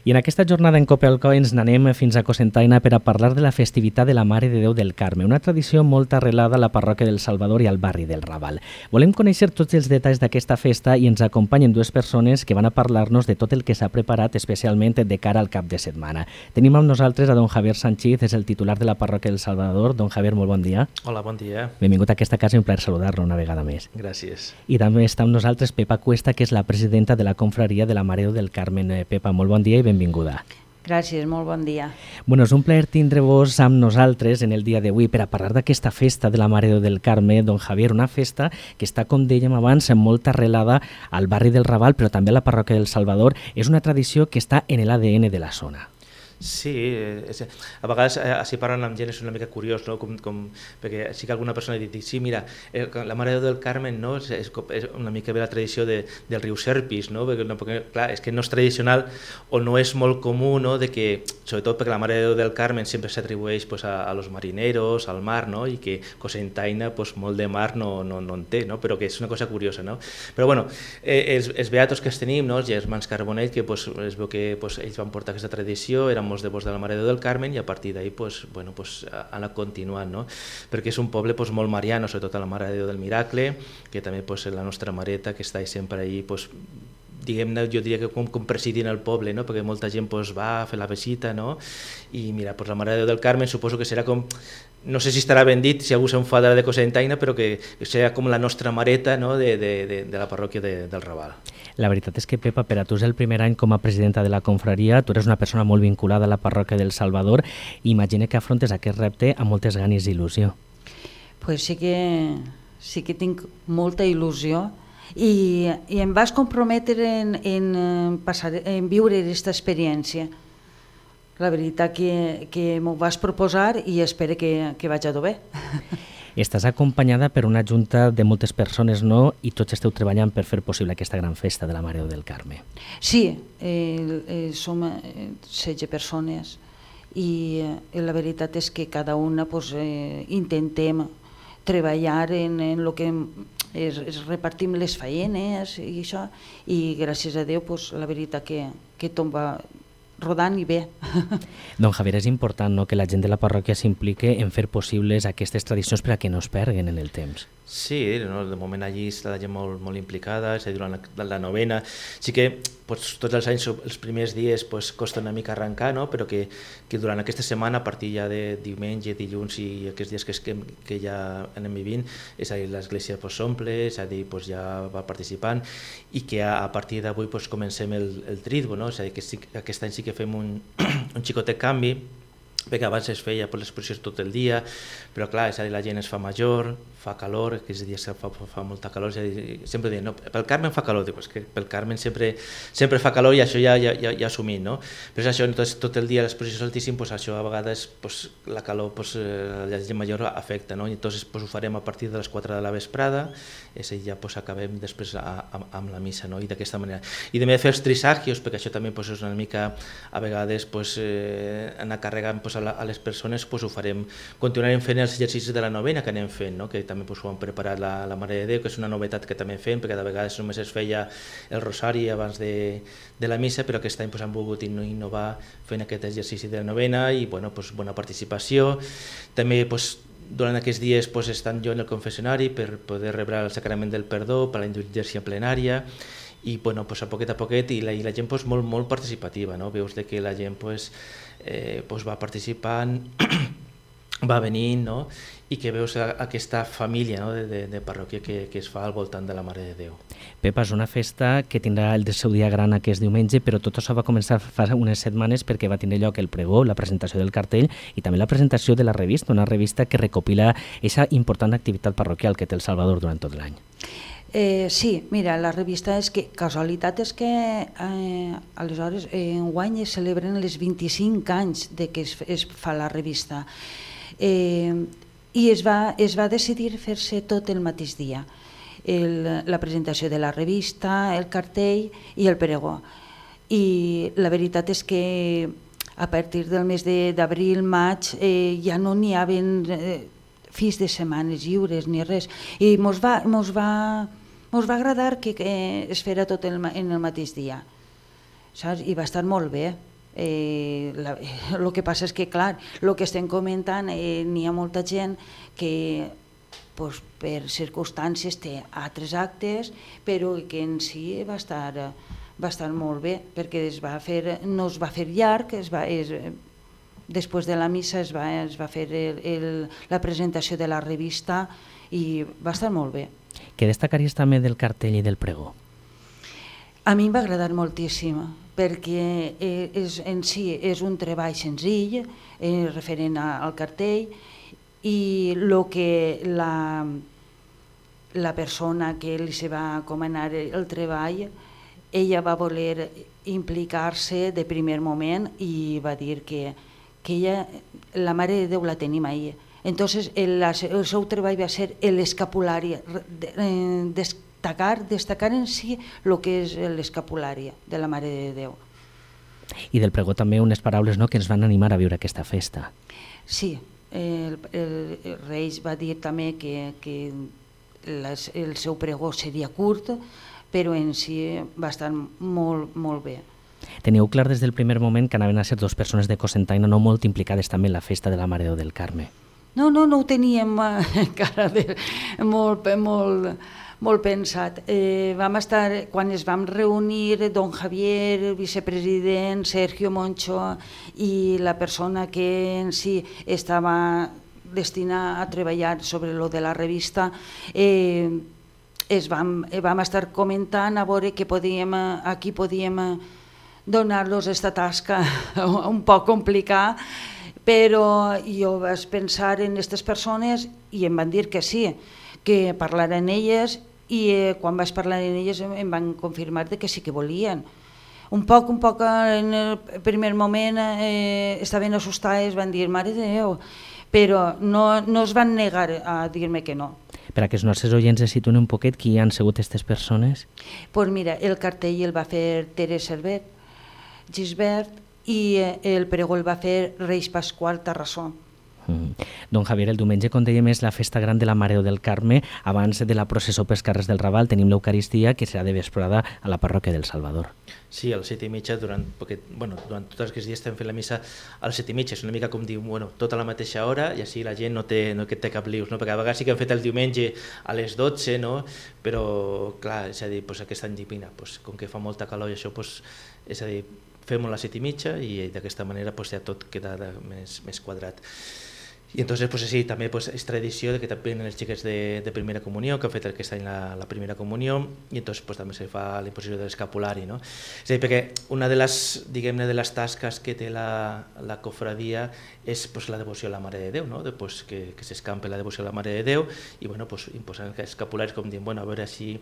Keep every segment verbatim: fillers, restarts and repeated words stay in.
I en aquesta jornada en Copelco ens n'anem fins a Cocentaina per a parlar de la festivitat de la Mare de Déu del Carme, una tradició molt arrelada a la parròquia del Salvador i al barri del Raval. Volem conèixer tots els detalls d'aquesta festa i ens acompanyen dues persones que van a parlar-nos de tot el que s'ha preparat, especialment de cara al cap de setmana. Tenim amb nosaltres a don Javier Sanchiz, és el titular de la parròquia del Salvador. Don Javier, molt bon dia. Hola, bon dia. Benvingut a aquesta casa i un plaer saludar-lo una vegada més. Gràcies. I també està amb nosaltres Pepa Cuesta, que és la presidenta de la confraria de la Mare de Déu del Carme. Pepa, molt bon dia i benvinguda. Gràcies, molt bon dia. Bueno, és un plaer tindre-vos amb nosaltres en el dia d'avui per a parlar d'aquesta festa de la Mare de Déu del Carme, don Javier, una festa que està, com dèiem abans, molt arrelada al barri del Raval, però també a la parròquia del Salvador. És una tradició que està en l'A D N de la zona. Sí, és, a vegades així parlant amb gent és una mica curiós, no? com, com, perquè sí que alguna persona ha dit, sí, mira, la Mare de Déu del Carme, no? és, és una mica bé la tradició de, del riu Serpis, no? Perquè, perquè clar, és que no és tradicional o no és molt comú, no? De que, sobretot perquè la Mare de Déu del Carme sempre s'atribueix pues, a, a los marineros, al mar, no? I que Cocentaina pues, molt de mar no, no, no en té, no? Però que és una cosa curiosa. No? Però bueno, eh, els, els beatos que els tenim, no? Els germans Carbonell, que pues, es veu que pues, ells van portar aquesta tradició, eren molts devots de la Mare de Déu del Carme i a partir d'ahir pues, bueno, pues, han anat continuant, no? Perquè és un poble pues, molt mariano, sobretot a la Mare de Déu del Miracle, que també pues, la nostra mareta que està sempre allí, pues, diguem-ne, jo diria que com, com presidint el poble, no? Perquè molta gent pues, va a fer la visita, no? I mira, pues, la Mare de Déu del Carme suposo que serà com, no sé si estarà ben dit, si algú s'enfadarà de Cocentaina, però que serà com la nostra mareta, no? de, de, de, de la parròquia de, del Raval. La veritat és que, Pepa, per a tu és el primer any com a presidenta de la confraria, tu eres una persona molt vinculada a la parròquia del Salvador i imagina que afrontes aquest repte amb moltes ganes i il·lusió. Pues sí que, sí que tinc molta il·lusió i, i em vas comprometre en, en, passar, en viure aquesta experiència. La veritat que, que m'ho vas proposar i espero que, que vaig a dur bé. Estàs acompanyada per una junta de moltes persones, no? I tots esteu treballant per fer possible aquesta gran festa de la Mare de Déu del Carme. Sí, eh, eh, som setze persones i eh, la veritat és que cada una pues, eh, intentem treballar en, en el que es, es repartim les feines i això, i gràcies a Déu pues, la veritat que, que tot va rodant i bé. Don Javier, és important, no?, que la gent de la parròquia s'implique en fer possibles aquestes tradicions per a que no es perguen en el temps. Sí, no? De moment allí està la gent molt, molt implicada, és a dir, durant la, la novena. Sí que pues, tots els anys, els primers dies, pues, costa una mica arrencar, no? Però que, que durant aquesta setmana, a partir ja de diumenge, dilluns i aquests dies que, que, que ja anem vivint, és a dir, l'església pues, s'omple, és a dir, pues, ja va participant i que a, a partir d'avui pues, comencem el, el tritbo, no? És a dir, que sí, aquest any sí que fem un, un xicotet canvi, perquè abans es feia per les processions tot el dia, però clar, és a dir, la gent es fa major, fa calor, aquests dies fa, fa molta calor, és a dir, sempre dient, no, pel Carme fa calor, dic, és que pel Carme sempre, sempre fa calor i això ja, ja, ja, ja assumint, no? Però és això, entonces, tot el dia les processions altíssimes, pues, això a vegades pues, la calor, pues, la gent major afecta, no? I entonces pues, ho farem a partir de les quatre de la vesprada, és a dir, ja pues, acabem després a, a, amb la missa, no? I d'aquesta manera. I també fer els trisagios, perquè això també pues, és una mica, a vegades, pues, eh, anar carregant pues, a, la, a les persones, pues, ho farem, continuarem fent els exercicis de la novena que anem fent, no? Que també pues, ho han preparat la, la Mare de Déu, que és una novetat que també fem, perquè de vegades només es feia el rosari abans de, de la missa, però aquest any pues, han volgut innovar fent aquest exercici de la novena i bueno, pues, bona participació. També pues, durant aquests dies pues, estan jo en el confessionari per poder rebre el sacrament del perdó, per la indulgència plenària, i bueno, pues, a poquet a poquet, i la, i la gent pues, molt, molt participativa, no? Veus de que la gent pues, eh, pues, va participant, va venint, no? I que veus aquesta família, no? de, de, de parròquia que, que es fa al voltant de la Mare de Déu. Pepa, és una festa que tindrà el seu dia gran aquest diumenge, però tot això va començar fa unes setmanes perquè va tindre lloc el pregó, la presentació del cartell i també la presentació de la revista, una revista que recopila aquesta important activitat parroquial que té el Salvador durant tot l'any. Eh, sí, mira, la revista és que, casualitat és que eh, aleshores eh, enguany es celebren els vint-i-cinc anys de que es, es fa la revista. Eh, i es va, es va decidir fer-se tot el mateix dia, el, la presentació de la revista, el cartell i el pregó. I la veritat és que a partir del mes d'abril, maig, eh, ja no n'hi havia eh, fins de setmanes lliures ni res, i mos va, mos va, mos va agradar que, que es fera tot el, en el mateix dia, saps? I va estar molt bé. Eh, la, el que passa és que, clar, el que estem comentant, eh, n'hi ha molta gent que pues, per circumstàncies té altres actes, però que en si va estar, va estar molt bé, perquè es va fer, no es va fer llarg, es va, es, després de la missa es va, es va fer el, el, la presentació de la revista i va estar molt bé. Què destacaries també del cartell i del pregó? A mi em va agradar moltíssim, perquè és, en si és un treball senzill, eh, referent al cartell, i el que la, la persona que li se va encomanar el treball, ella va voler implicar-se de primer moment i va dir que, que ella, la Mare de Déu la tenim ahí. Entonces el, el seu treball va ser l'escapulari, destacar, destacar en si el que és l'escapulari de la Mare de Déu. I del pregó també unes paraules, no?, que ens van animar a viure aquesta festa. Sí, el, el, el Reis va dir també que, que les, el seu pregó seria curt, però en si va estar molt, molt bé. Teníeu clar des del primer moment que anaven a ser dues persones de Cocentaina no molt implicades també en la festa de la Mare de Déu del Carme. No, no, no ho teníem encara de, molt, molt, molt pensat. Eh, vam estar, quan es vam reunir, don Javier, el vicepresident, Sergio Moncho i la persona que en si estava destinada a treballar sobre lo de la revista, eh, es vam, vam estar comentant a veure que podíem, aquí podíem donar-los esta tasca un poc complicada, però jo vaig pensar en aquestes persones i em van dir que sí, que parlaren elles, i eh, quan vaig parlar amb elles em van confirmar que sí que volien. Un poc, un poc en el primer moment eh, estaven assustades, van dir, Mare de Déu, però no, no es van negar a dir-me que no. Per a que els nostres oients es situen un poquet, qui han sigut aquestes persones? Doncs pues mira, el cartell el va fer Teresa Servet, Gisbert, i el pregó el va fer Reis Pasqual Tarrassó. Mm. Don Javier, el diumenge, com dèiem, és la festa gran de la Mare de Déu del Carme. Abans de la processó pels carrers del Raval tenim l'Eucaristia, que serà de vesprada a la parròquia del Salvador. Sí, a les set i mitja, durant, perquè, bueno, durant tots aquests dies estem fent la missa a les set i mitja, és una mica com dir, bueno, tota la mateixa hora, i així la gent no té, no té cap lius, no? Perquè a vegades sí que hem fet el diumenge a les dotze, no? Però clar, és a dir, pues, aquest any divina, pues, com que fa molta calor i això, pues, és a dir, fem-ho a les set i mitja i d'aquesta manera pues, ja tot queda més, més quadrat. I entonces, pues, sí, també pues, és tradició de que també venen els xiquets de, de primera comunió, que han fet aquest any la, la primera comunió, i entonces pues, també se fa la imposició de l'escapulari. No? És a dir, perquè una de les, diguem-ne, de les tasques que té la, la cofradia és pues, la devoció a la Mare de Déu, no? de, pues, que, que s'escampe la devoció a la Mare de Déu i bueno, pues, imposant escapularis com dient, bueno, a veure si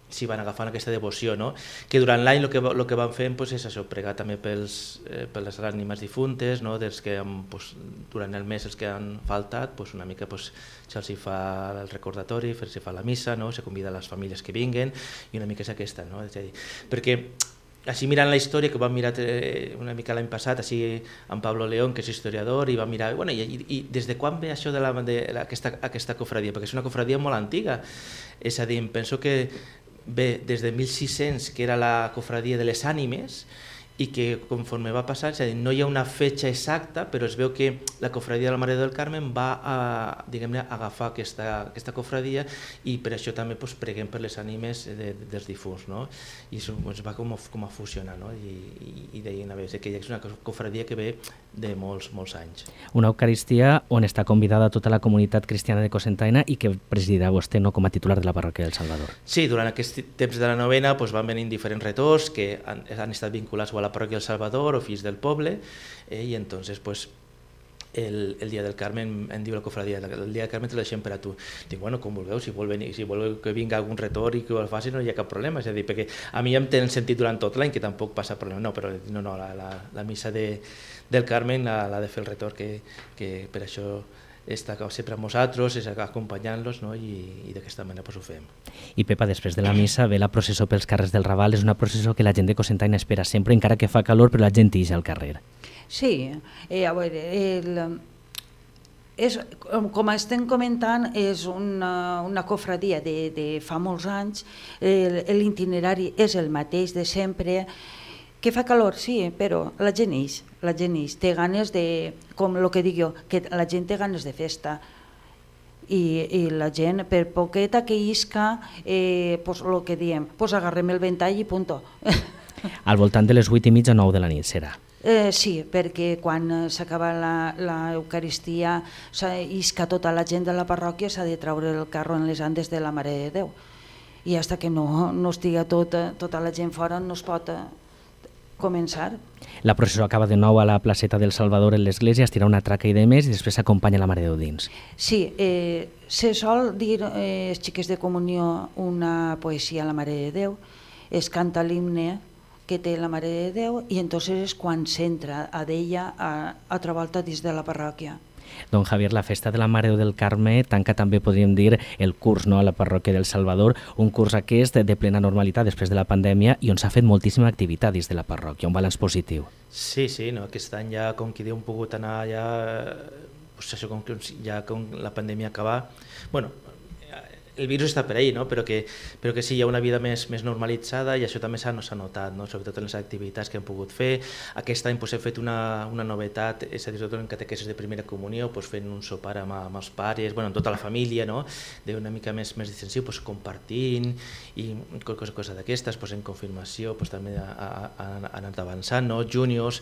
si van agafant aquesta devoció, no? Que durant l'any el que, el que van fent pues, és això, pregar també pels, eh, per les ànimes difuntes, no? Dels que han, pues, durant el mes els que han faltat, pues, una mica pues, se'ls fa el recordatori, se fa la missa, no? Se convida a les famílies que vinguen i una mica és aquesta, no? És a dir, perquè així mirant la història, que vam mirar eh, una mica l'any passat, així amb Pablo León, que és historiador, i va mirar, bueno, i, i, i des de quan ve això de, la, de la, aquesta, aquesta cofradia? Perquè és una cofradia molt antiga, és a dir, penso que bé, des de mil sis-cents, que era la cofradia de les ànimes, i que conforme va passar, és a dir, no hi ha una fetge exacta, però es veu que la cofradia de la Mare del Carme va a, diguem-ne, agafar aquesta, aquesta cofradia i per això també pues, preguem per les ànimes de, de, dels difunts, no? I això pues, va com a, com a fusionar, no? I, i, i deien a veure que és una cofradia que ve de molts, molts anys. Una Eucaristia on està convidada tota la comunitat cristiana de Cocentaina i que presidirà vostè no, com a titular de la parròquia del Salvador. Sí, durant aquest temps de la novena pues, van venir diferents retors que han, han estat vinculats a la parròquia del Salvador o fills del poble, eh, i entonces pues, el, el dia del Carmen em diu la cofradia, el dia del Carmen te lo deixem per a tu. Dic, bueno, com vulgueu, si vol, venir, si voleu que vinga algun retor i que ho faci no hi ha cap problema, és a dir, perquè a mi ja em tenen sentit durant tot l'any que tampoc passa problema, no, però no, no, la, la, la missa de, del Carmen l'ha de fer el retor, que, que per això està sempre amb nosaltres, és acompanyant-los, no? I, i d'aquesta manera pues, ho fem. I Pepa, després de la missa ve la processó pels carrers del Raval, és una processó que la gent de Cocentaina espera sempre, encara que fa calor, però la gent ix al carrer. Sí, eh, a veure, el, és, com estem comentant, és una, una cofradia de, de fa molts anys, l'itinerari és el mateix de sempre, Que fa calor, sí, però la gent ix, la gent ix, té ganes de, com el que dic jo, que la gent té ganes de festa. I, i la gent, per poqueta que isca, eh, pues el que diem, pues agarrem el ventall i punto. Al voltant de les vuit i mitja o nou de la nit serà? Eh, sí, perquè quan s'acaba l'Eucaristia, isca tota la gent de la parròquia, s'ha de treure el carro en les andes de la Mare de Déu. I fins que no, no estiga tota, tota la gent fora no es pot començar. La processó acaba de nou a la placeta del Salvador en l'església, es tira una traca i de més i després s'acompanya la Mare de Déu dins. Sí, eh, se sol dir eh, els xiques de comunió una poesia a la Mare de Déu, es canta l'himne que té la Mare de Déu i entonces és quan s'entra a d'ella a altra volta dins de la parròquia. Don Javier, la festa de la Mare de Déu del Carme tanca també, podríem dir, el curs, no?, a la parròquia del Salvador, un curs aquest de plena normalitat després de la pandèmia i on s'ha fet moltíssima activitat dins de la parròquia, un balanç positiu. Sí, sí, no? Aquest any ja, com qui diu, hem pogut anar ja, pues això, com, ja com la pandèmia acabar, bueno, el virus està per ahí, no? però, que, però que sí, hi ha una vida més, més normalitzada i això també s'ha no, notat, no? Sobretot en les activitats que hem pogut fer. Aquest any pues, hem fet una, una novetat, és a dir, sobretot en catequesis de primera comunió, pues, fent un sopar amb, amb els pares, bueno, amb tota la família, no? D'una mica més, més distensiu, pues, compartint i coses cosa d'aquestes, pues, en confirmació pues, també ha, ha, ha anat avançant, no? Juniors,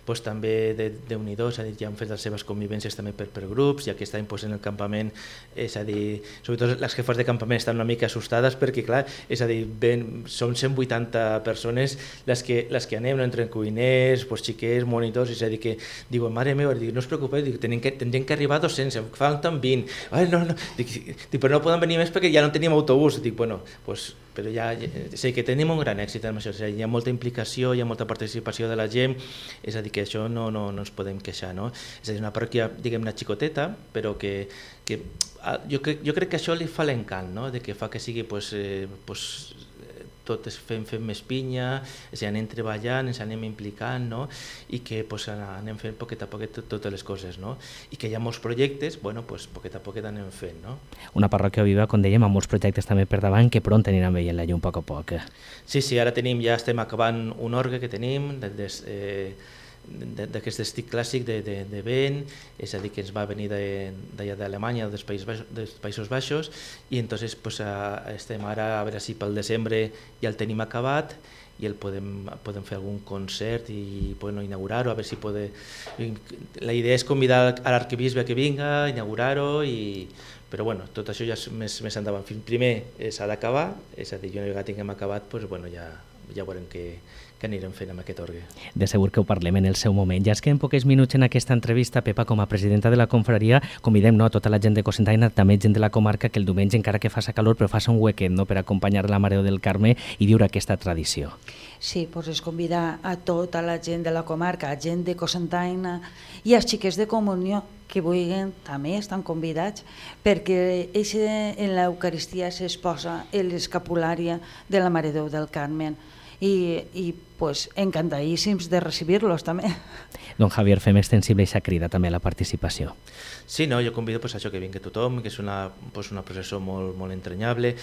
pues, també de, de Unido, és a dir, ja han fet les seves convivències també per, per grups i aquest any pues, en el campament, és a dir, sobretot les jefes de campament estan una mica assustades perquè, clar, és a dir, ben, som cent vuitanta persones les que, les que anem, no? Entre cuiners, pues, xiquers, monitors, és a dir, que diuen, mare meva, dic, no us preocupeu, dic, tenen que, tindrem que arribar a dos-cents, falten vint, ai, no, no, dic, dic, però no poden venir més perquè ja no teníem autobús, dic, bueno, pues, però ja, sé que tenim un gran èxit amb això, és a dir, hi ha molta implicació, hi ha molta participació de la gent, és a dir, que això no, no, no ens podem queixar, no? És a dir, una parròquia, diguem-ne, xicoteta, però que, que jo, crec, jo crec que això li fa l'encant, no? De que fa que sigui, pues, eh, pues, tot fem, fem més pinya, és a dir, anem treballant, ens anem implicant, no? I que pues, anem fent poquet a poquet totes les coses, no? I que hi ha molts projectes, bueno, pues, poquet a poquet anem fent, no? Una parròquia viva, com dèiem, amb molts projectes també per davant, que pront aniran veient la llum a poc a poc. Sí, sí, ara tenim, ja estem acabant un orgue que tenim, des, eh, d'aquest estic clàssic de, de, de vent, és a dir, que ens va venir d'allà d'Alemanya, dels Països Baixos, dels Països Baixos i entonces pues, a, estem ara a veure si pel desembre ja el tenim acabat i el podem, podem fer algun concert i bueno, inaugurar-ho, a veure si pode... La idea és convidar a l'arquebisbe que vinga, inaugurar-ho i... Però bueno, tot això ja és més, més endavant. Primer s'ha d'acabar, és a dir, una vegada tinguem acabat, pues, bueno, ja, ja veurem què, que anirem fent amb aquest orgue. De segur que ho parlem en el seu moment. Ja es queden pocs minuts en aquesta entrevista, Pepa, com a presidenta de la confraria, convidem no, a tota la gent de Cocentaina, també gent de la comarca, que el diumenge, encara que faça calor, però faça un huequet no, per acompanyar la Mare de Déu del Carme i viure aquesta tradició. Sí, doncs és convidar a tota la gent de la comarca, a gent de Cocentaina i als xiquets de comunió que vulguin, també estan convidats, perquè eixe, en l'Eucaristia s'exposa l'escapulària de la Mare de Déu del Carme i, i pues, encantadíssims de recibir-los també. Don Javier, fem extensible aquesta crida també a la participació. Sí, no, jo convido pues, a això que vingui tothom, que és una, pues, una processó molt, molt entranyable,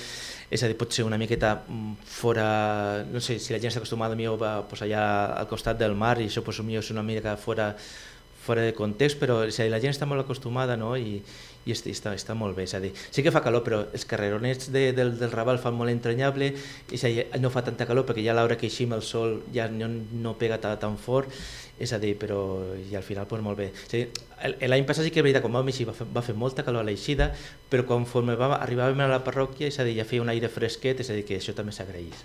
és a dir, pot ser una miqueta fora, no sé, si la gent està acostumada a pues, allà al costat del mar i això pues, és una mica fora, fora de context, però és a dir, la gent està molt acostumada, no? I, i està, està molt bé, és a dir, sí que fa calor, però els carreronets de, del, del Raval fan molt entranyable, és a dir, no fa tanta calor perquè ja a l'hora que eixim el sol ja no, no pega tan, tan fort, és a dir, però i al final pues, molt bé. L'any passat sí que és veritat, quan vam eixir va fer, va fer molta calor a l'eixida, però conforme va, arribàvem a la parròquia, és a dir, ja feia un aire fresquet, és a dir, que això també s'agraeix.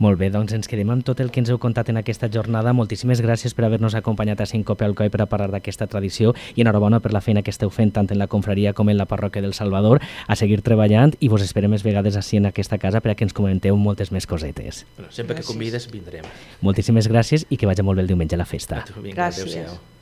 Molt bé, doncs ens quedem amb tot el que ens heu contat en aquesta jornada. Moltíssimes gràcies per haver-nos acompanyat a Síncope Alcoi per a parlar d'aquesta tradició i enhorabona per la feina que esteu fent tant en la confraria com en la parròquia del Salvador, a seguir treballant i vos esperem més vegades així en aquesta casa per a que ens comenteu moltes més cosetes. Bueno, sempre gràcies. Que convides vindrem. Moltíssimes gràcies i que vagi molt bé el diumenge a la festa. Vinga, gràcies. Adéu-siau.